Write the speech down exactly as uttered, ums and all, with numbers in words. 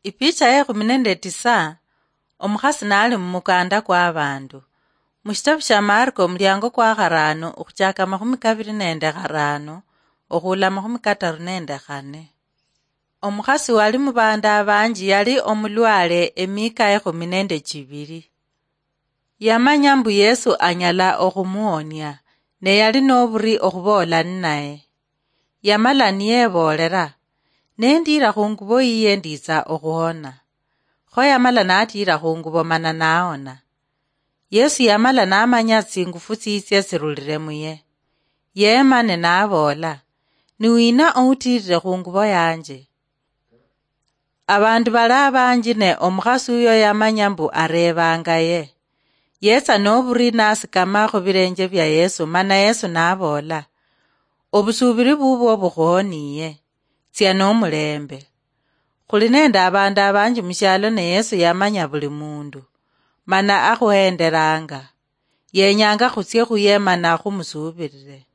Ipicha ya ekhumi nende tisa. Omukhasi nali mumukanda kwa abandu. Mushitabu shia Marko, omuliango kwa kharano, okhuchaka amakhumi kabiri nende kharano, okhula amakhumi kataru nende khane. Omukhasi wali mubandu abanji yali omulwale emika ekhumi nende chibiri. Yamanya mbu Yesu anyala okhumuonia, ne yali noburi okhuboola ninaye. Yamala niyebolera, "Nendiira khungubo yiye nditsa okhuhona." Kho yamala natiira khungubo mana naona. Yesu yamala namanya tsingufu tsitsia tsirulire muye. Yema ne naboola, "Ni wina outiirire khungubo yanje?" Abandu bali abanji ne omukhasi uyo yamanya mbu areebanga ye. Yetsa noburi nasikama khubilenje bia Yesu, mana Yesu naboola, "Obusuubiri bubwo bukhuhoniye. Tsia nomulembe." Khuli nende abandu abanji mushialo ne Yesu yamanya buli mundu, mana akhuhenderanga. Yenyanga khutsie khuye mana khumusuubirire.